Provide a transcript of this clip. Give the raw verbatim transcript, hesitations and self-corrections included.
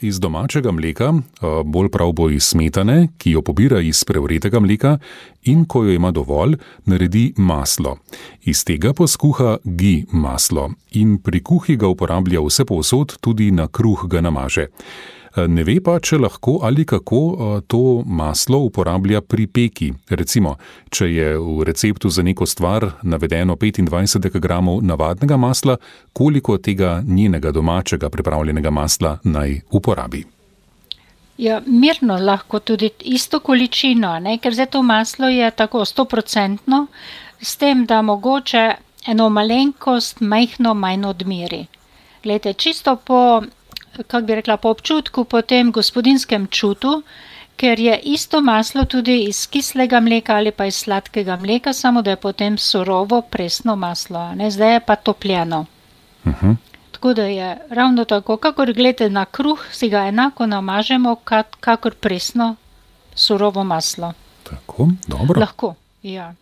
Iz domačega mleka, bolj prav bo iz smetane, ki jo pobira iz prevretega mleka in ko jo ima dovolj, naredi maslo. Iz tega pa skuha ghee maslo in pri kuhi ga uporablja vse povsod, tudi na kruh ga namaže. Ne ve pa, če lahko ali kako to maslo uporablja pri peki. Recimo, če je v receptu za neko stvar navedeno petindvajset dekagramov navadnega masla, koliko tega njenega domačega pripravljenega masla naj uporabi? Ja, mirno lahko tudi isto količino, ne? Ker zdaj to maslo je tako stoprocentno, s tem, da mogoče eno malenkost majhno manj odmeri. Glejte, čisto po kako bi rekla, po občutku, po tem gospodinskem čutu, ker je isto maslo tudi iz kislega mleka ali pa iz sladkega mleka, samo da je potem surovo presno maslo, ne, zdaj je pa topljeno. Uh-huh. Tako da je ravno tako, kakor gledate na kruh, si ga enako namažemo, kakor presno surovo maslo. Tako, dobro. Lahko, ja.